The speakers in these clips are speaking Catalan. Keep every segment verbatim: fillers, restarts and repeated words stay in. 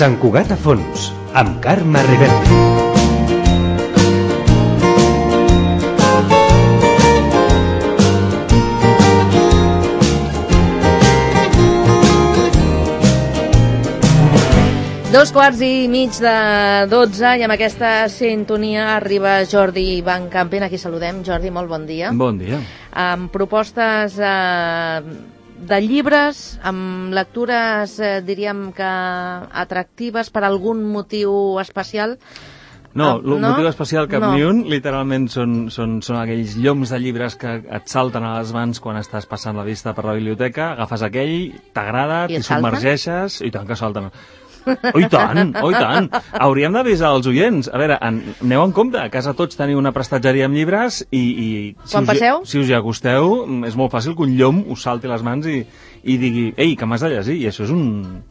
Sant Cugat a fons, amb Carme Riverdi. Dos quarts i mig de dotze i amb aquesta sintonia arriba Jordi Van Campen. Aquí saludem. Jordi, molt bon dia. Bon dia. Amb propostes eh, de llibres, amb lectures, eh, diríem que atractives per algun motiu especial. No, el no? motiu especial cap no. ni un, literalment són, són, són aquells lloms de llibres que et salten a les mans quan estàs passant la vista per la biblioteca, agafes aquell, t'agrada, t'hi submergeixes, i tant que salten. Oh, i tant, oh, i tant. Hauríem d'avisar els oients. A veure, en, aneu en compte, a casa tots teniu una prestatgeria amb llibres i, i si, quan us, passeu? si us hi acosteu, és molt fàcil que un llom us salti les mans i, i digui, ei, que m'has de llegir, i això és un...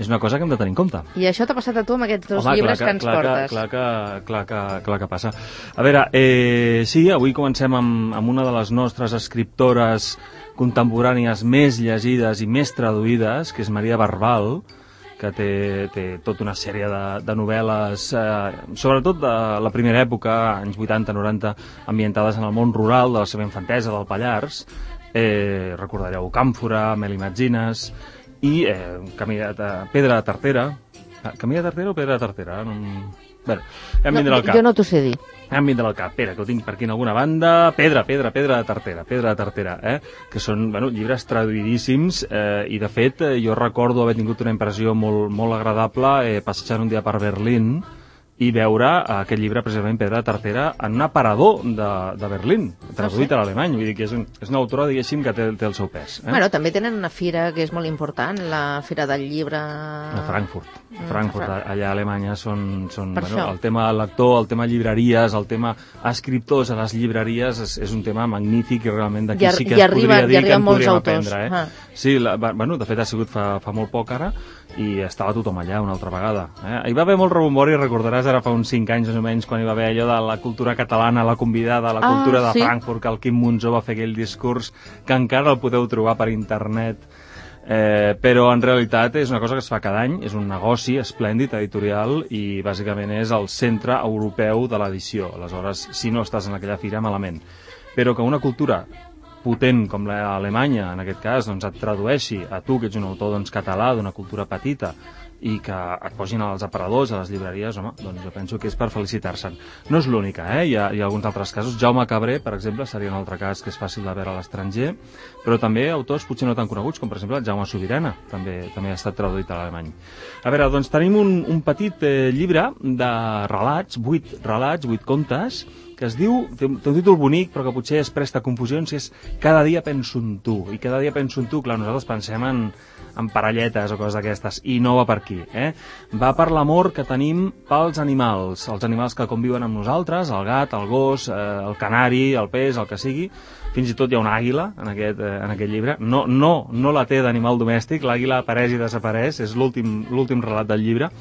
és una cosa que hem de tenir en compte. I això t'ha passat a tu amb aquests dos Home, llibres clar, que ens clar, portes. Clar que, clar, que, clar que passa. A veure, eh, sí, avui comencem amb, amb una de les nostres escriptores contemporànies més llegides i més traduïdes, que és Maria Barbal, que té, té tota una sèrie de, de novel·les, eh, sobretot de la primera època, anys vuitanta noranta, ambientades en el món rural de la seva infantesa, del Pallars. Eh, recordareu Càmfora, Mel Imagines, i eh, Camí de, Pedra de Tartera. Camí de Tartera o Pedra de Tartera? No... Bé, ja em vindrà al cap. Jo no t'ho sé dir. Ja em vindrà al cap. Espera, que ho tinc per aquí en alguna banda. Pedra, Pedra, Pedra de Tartera. Pedra de Tartera, eh? Que són, bueno, llibres traduïdíssims eh, i, de fet, eh, jo recordo haver tingut una impressió molt, molt agradable eh, passejant un dia per Berlín i veure aquest llibre, precisament Pedra de Tartera, en un aparador de, de Berlín, traduït a l'alemany. Vull dir que és, un, és una autora, diguéssim, que té, té el seu pes. Eh? Bueno, també tenen una fira que és molt important, la Fira del Llibre... A Frankfurt. Mm, Frankfurt, a allà a Alemanya són... són bueno, el tema lector, el tema llibreries, el tema escriptors a les llibreries és, és un tema magnífic i realment d'aquí sí que es podria dir que en podríem aprendre. Eh? Ah. Sí, la, bueno, de fet ha sigut fa, fa molt poc ara i estava tothom allà una altra vegada. Eh? Hi va haver molt rebombori, recordaràs ara fa uns cinc anys més o menys, quan hi va haver allò de la cultura catalana, la convidada, la cultura ah, de sí? Frankfurt, que el Quim Monzó va fer aquell discurs, que encara el podeu trobar per internet, eh, però en realitat és una cosa que es fa cada any, és un negoci esplèndid, editorial, i bàsicament és el centre europeu de l'edició. Aleshores, si no estàs en aquella fira, malament. Però que una cultura potent com l'Alemanya, en aquest cas, doncs et tradueixi a tu, que ets un autor doncs, català, d'una cultura petita, i que et posin als aparadors, a les llibreries, home, doncs jo penso que és per felicitar-se'n. No és l'única, eh? Hi ha, hi ha alguns altres casos. Jaume Cabré, per exemple, seria un altre cas que és fàcil de veure a l'estranger, però també autors potser no tan coneguts, com per exemple Jaume Subirana, també també ha estat traduït a l'alemany. A veure, doncs tenim un, un petit eh, llibre de relats, vuit relats, vuit contes, que es diu, té un títol bonic, però que potser es presta a confusions, és Cada dia penso en tu. I cada dia penso en tu, clar, nosaltres pensem en, en parelletes o coses d'aquestes, i no va per aquí, eh? Va per l'amor que tenim pels animals, els animals que conviuen amb nosaltres, el gat, el gos, eh, el canari, el peix, el que sigui. Fins i tot hi ha una àguila en aquest, eh, en aquest llibre. No, no, no la té d'animal domèstic, l'àguila apareix i desapareix, és l'últim l'últim relat del llibre.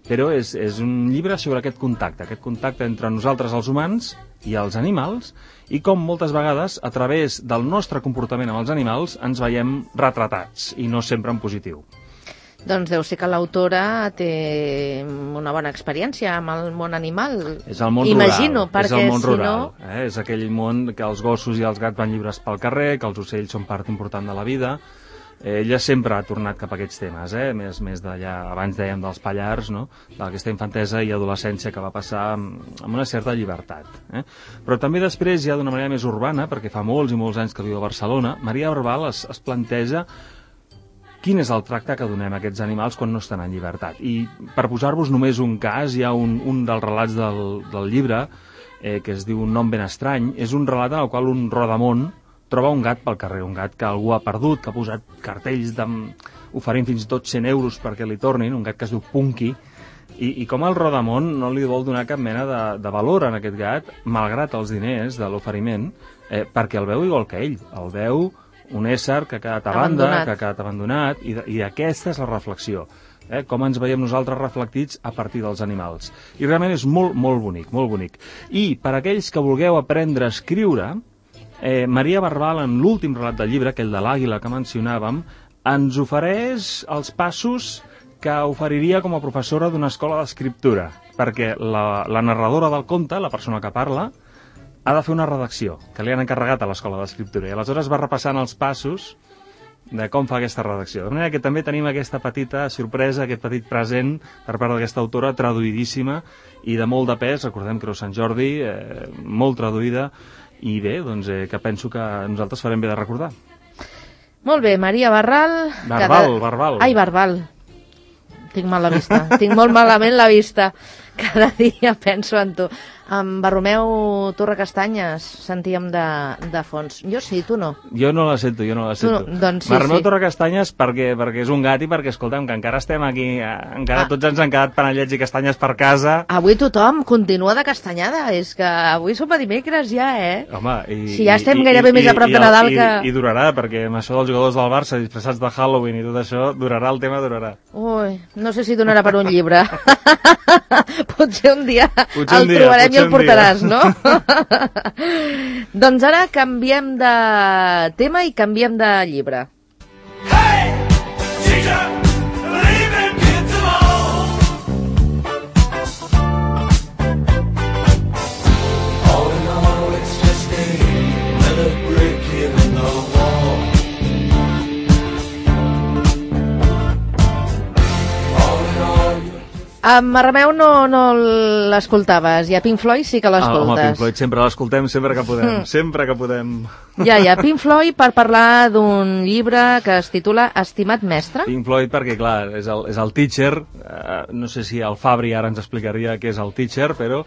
Però és, és un llibre sobre aquest contacte, aquest contacte entre nosaltres els humans i els animals, i com moltes vegades, a través del nostre comportament amb els animals, ens veiem retratats, i no sempre en positiu. Doncs deu ser que l'autora té una bona experiència amb el món animal. És el món Imagino, rural, perquè és el món si rural, no... eh? És aquell món que els gossos i els gats van lliures pel carrer, que els ocells són part important de la vida. Ella sempre ha tornat cap a aquests temes, eh? més, més d'allà, abans dèiem dels Pallars, no? D'aquesta infantesa i adolescència que va passar amb, amb una certa llibertat. Eh? Però també després, ja d'una manera més urbana, perquè fa molts i molts anys que viu a Barcelona, Maria Barbal es, es planteja quin és el tracte que donem a aquests animals quan no estan en llibertat. I per posar-vos només un cas, hi ha un, un dels relats del, del llibre, eh, que es diu Un nom ben estrany, és un relat en el qual un rodamont troba un gat pel carrer, un gat que algú ha perdut, que ha posat cartells de... oferint fins i tot cent euros perquè li tornin, un gat que es diu Punky, i, i com el rodamont no li vol donar cap mena de, de valor a aquest gat, malgrat els diners de l'oferiment, eh, perquè el veu igual que ell, el veu un ésser que ha quedat a banda, abandonat. que ha quedat abandonat, i, i aquesta és la reflexió. Eh, com ens veiem nosaltres reflectits a partir dels animals. I realment és molt, molt bonic, molt bonic. I per aquells que vulgueu aprendre a escriure, Eh, Maria Barbal, en l'últim relat del llibre, aquell de l'àguila que mencionàvem, ens ofereix els passos que oferiria com a professora d'una escola d'escriptura, perquè la, la narradora del conte, la persona que parla, ha de fer una redacció que li han encarregat a l'escola d'escriptura, i aleshores va repassant els passos de com fa aquesta redacció. De manera que també tenim aquesta petita sorpresa, aquest petit present per part d'aquesta autora, traduïdíssima i de molt de pes. Recordem que era Sant Jordi, eh, molt traduïda, i bé, doncs eh, que penso que nosaltres farem bé de recordar. Molt bé, Maria Barral... Barbal, cada... Barbal. Ai, Barbal. Tinc mal la vista. Tinc molt malament la vista. Cada dia penso en tu. En Bartomeu Torrecastanyes sentíem de, de fons. Jo sí, tu no. Jo no la sento, jo no la sento. No, doncs sí, Bartomeu sí. Torrecastanyes perquè, perquè és un gat i perquè, escolta'm, que encara estem aquí, encara ah. tots ens han quedat panellets i castanyes per casa. Avui tothom continua de castanyada, és que avui som a dimecres ja, eh? Home, i... Si ja estem i, gairebé i, més a prop i, de Nadal i, que... I, I durarà, perquè amb això dels jugadors del Barça disfressats de Halloween i tot això, durarà, el tema durarà. Ui, no sé si donarà per un llibre. Potser un dia potser el un dia, trobarem i el portaràs, dia. no? Doncs ara canviem de tema i canviem de llibre. Hey, teacher, leaving kids alone. All in all, it's just another brick in the wall. All in all, you're Amb Bartomeu no, no l'escoltaves, i a Pink Floyd sí que l'escoltes. Ah, home, Pink Floyd sempre l'escoltem, sempre que podem, mm. sempre que podem. Ja, ja, Pink Floyd per parlar d'un llibre que es titula Estimat mestre. Pink Floyd perquè, clar, és el, és el teacher, uh, no sé si el Fabri ara ens explicaria què és el teacher, però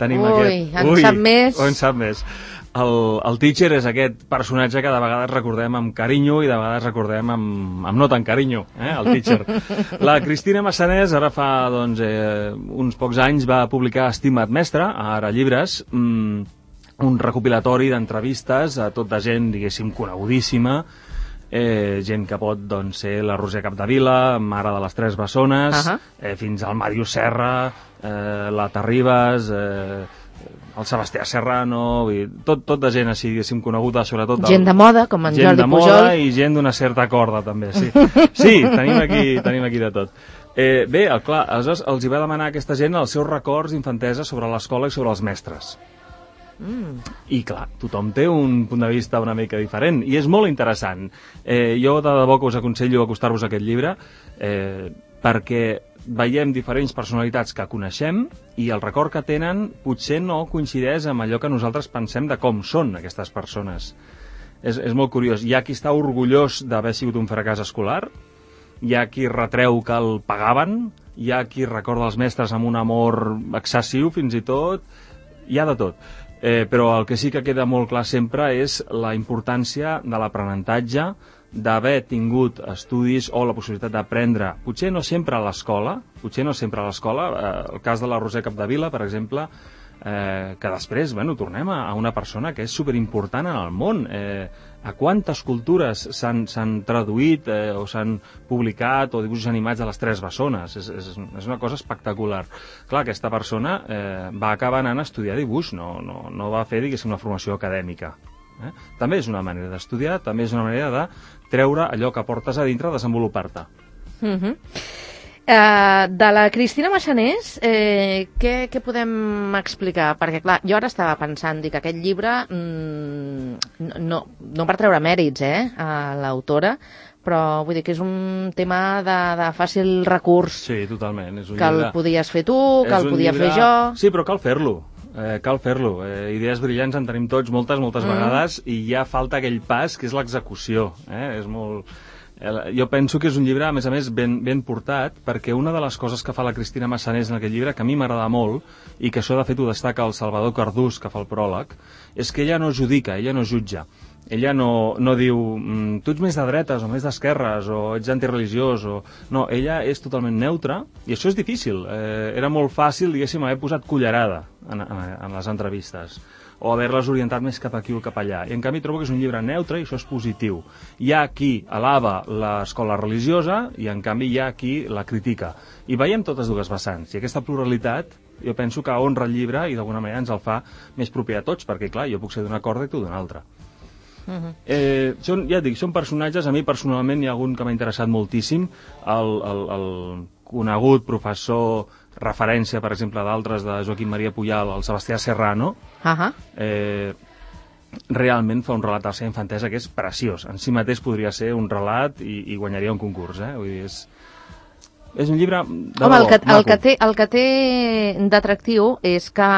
tenim Ui, aquest... en Ui, sap més. en sap més. El, el teacher és aquest personatge que de vegades recordem amb carinyo i de vegades recordem amb, amb no tan carinyo, eh, el teacher. La Cristina Massanés ara fa doncs, eh, uns pocs anys va publicar Estimat mestre, a Ara Llibres, mmm, un recopilatori d'entrevistes a tota gent, diguéssim, conegudíssima, eh, gent que pot doncs, ser la Roser Capdevila, mare de les Tres Bessones, uh -huh. eh, fins al Màrius Serra, eh, la Terribas, eh, el Sebastià Serrano, i tot, tot de gent així, diguéssim, coneguda, sobretot... Gent de moda, com en Jordi Pujol. Gent de moda i gent d'una certa corda, també, sí. Sí, tenim aquí, tenim aquí de tot. Eh, bé, el, clar, aleshores els hi va demanar a aquesta gent els seus records d'infantesa sobre l'escola i sobre els mestres. Mm. I clar, tothom té un punt de vista una mica diferent i és molt interessant. Eh, jo de debò que us aconsello acostar-vos a aquest llibre eh, perquè veiem diferents personalitats que coneixem i el record que tenen potser no coincideix amb allò que nosaltres pensem de com són aquestes persones. És, és molt curiós. Hi ha qui està orgullós d'haver sigut un fracàs escolar, hi ha qui retreu que el pagaven, hi ha qui recorda els mestres amb un amor excessiu fins i tot, hi ha de tot. Eh, però el que sí que queda molt clar sempre és la importància de l'aprenentatge, d'haver tingut estudis o la possibilitat d'aprendre, potser no sempre a l'escola, potser no sempre a l'escola, eh, el cas de la Roser Capdevila, per exemple, eh, que després, bueno, tornem a, a una persona que és superimportant en el món. Eh, a quantes cultures s'han traduït eh, o s'han publicat o dibuixos animats de les Tres Bessones? És, és, és una cosa espectacular. Clar, aquesta persona eh, va acabar anant a estudiar dibuix, no, no, no va fer, diguéssim, una formació acadèmica. Eh? També és una manera d'estudiar, també és una manera de treure allò que portes a dintre, desenvolupar-te. Uh -huh. uh, de la Cristina Massanés, eh, què, què podem explicar? Perquè, clar, jo ara estava pensant dic, que aquest llibre, mmm, no, no per treure mèrits eh, a l'autora, però vull dir que és un tema de, de fàcil recurs. Sí, totalment. És un que llibre... el podies fer tu, que és el podia llibre... fer jo... Sí, però cal fer-lo. Eh, cal fer-lo. Eh, idees brillants en tenim tots moltes, moltes mm. vegades, i ja falta aquell pas que és l'execució. Eh? És molt... Eh, jo penso que és un llibre, a més a més, ben, ben portat, perquè una de les coses que fa la Cristina Massanés en aquest llibre, que a mi m'agrada molt, i que això de fet ho destaca el Salvador Cardús, que fa el pròleg, és que ella no judica, ella no jutja. Ella no, no diu, tu ets més de dretes o més d'esquerres o ets antireligiós o... No, ella és totalment neutra i això és difícil. Eh, era molt fàcil, diguéssim, haver posat cullerada en, en, en les entrevistes o haver-les orientat més cap aquí o cap allà. I en canvi trobo que és un llibre neutre i això és positiu. Hi ha qui alaba l'escola religiosa i en canvi hi ha qui la critica. I veiem totes dues vessants. I aquesta pluralitat jo penso que honra el llibre i d'alguna manera ens el fa més proper a tots, perquè clar, jo puc ser d'una corda i tu d'una altra. Uh-huh. eh, són, ja et dic, són personatges, a mi personalment hi ha algun que m'ha interessat moltíssim, el, el, el, conegut professor, referència, per exemple, d'altres, de Joaquim Maria Pujal, el Sebastià Serrano, uh-huh. eh, realment fa un relat de la seva infantesa que és preciós. En si mateix podria ser un relat i, i guanyaria un concurs, eh? Vull dir, és, és un llibre de Home, el que, maco. el que té, el que té d'atractiu és que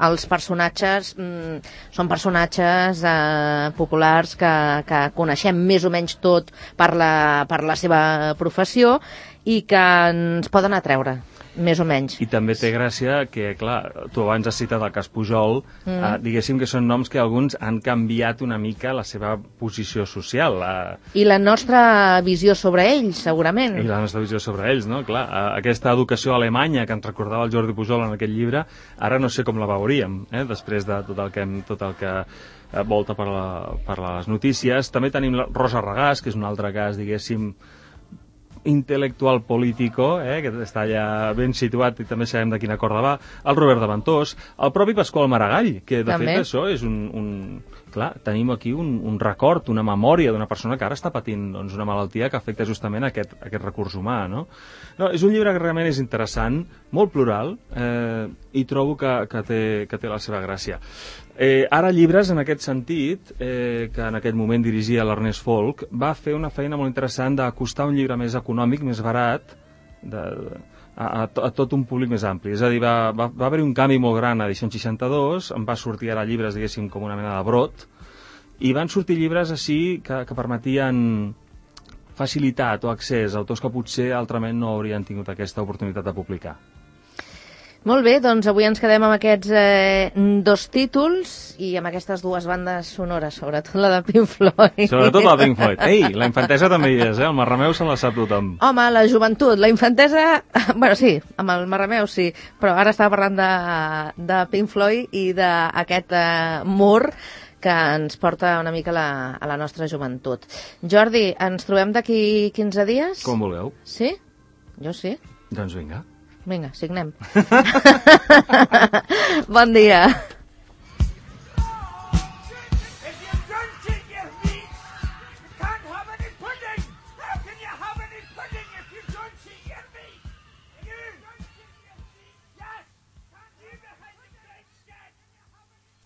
els personatges mm, són personatges eh, populars que, que coneixem més o menys tot per la, per la seva professió i que ens poden atreure, més o menys. I també té gràcia que, clar, tu abans has citat el cas Pujol, mm. eh, diguéssim que són noms que alguns han canviat una mica la seva posició social. Eh. I la nostra visió sobre ells, segurament. I la nostra visió sobre ells, no? Clar, eh, aquesta educació alemanya que ens recordava el Jordi Pujol en aquest llibre, ara no sé com la veuríem, eh, després de tot el que, hem, tot el que eh, volta per, la, per les notícies. També tenim la Rosa Regàs, que és un altre cas, diguéssim, intel·lectual político, eh, que està allà ben situat i també sabem de quina corda va, el Robert de Ventós, el propi Pasqual Maragall, que de també. fet això és un, un... Clar, tenim aquí un, un record, una memòria d'una persona que ara està patint doncs, una malaltia que afecta justament aquest, aquest recurs humà, no? No, és un llibre que realment és interessant, molt plural, eh, i trobo que, que, té, que té la seva gràcia. Eh, ara Llibres, en aquest sentit, eh, que en aquell moment dirigia l'Ernest Folk, va fer una feina molt interessant d'acostar un llibre més econòmic, més barat, de, a, a, a tot un públic més ampli. És a dir, va, va, va haver-hi un canvi molt gran a Edicions seixanta-dos, en va sortir ara Llibres, diguéssim, com una mena de brot, i van sortir llibres així que, que permetien facilitat o accés a autors que potser altrament no haurien tingut aquesta oportunitat de publicar. Molt bé, doncs avui ens quedem amb aquests eh, dos títols i amb aquestes dues bandes sonores, sobretot la de Pink Floyd. Sobretot la de Pink Floyd. Ei, la infantesa també hi és, eh? El Marrameu se la sap tothom. Home, la joventut, la infantesa... Bueno, sí, amb el Marrameu sí, però ara estava parlant de, de Pink Floyd i d'aquest eh, mur que ens porta una mica la, a la nostra joventut. Jordi, ens trobem d'aquí quinze dies? Com vulgueu. Sí? Jo sí. Doncs vinga. Vinga, signem. Bon dia.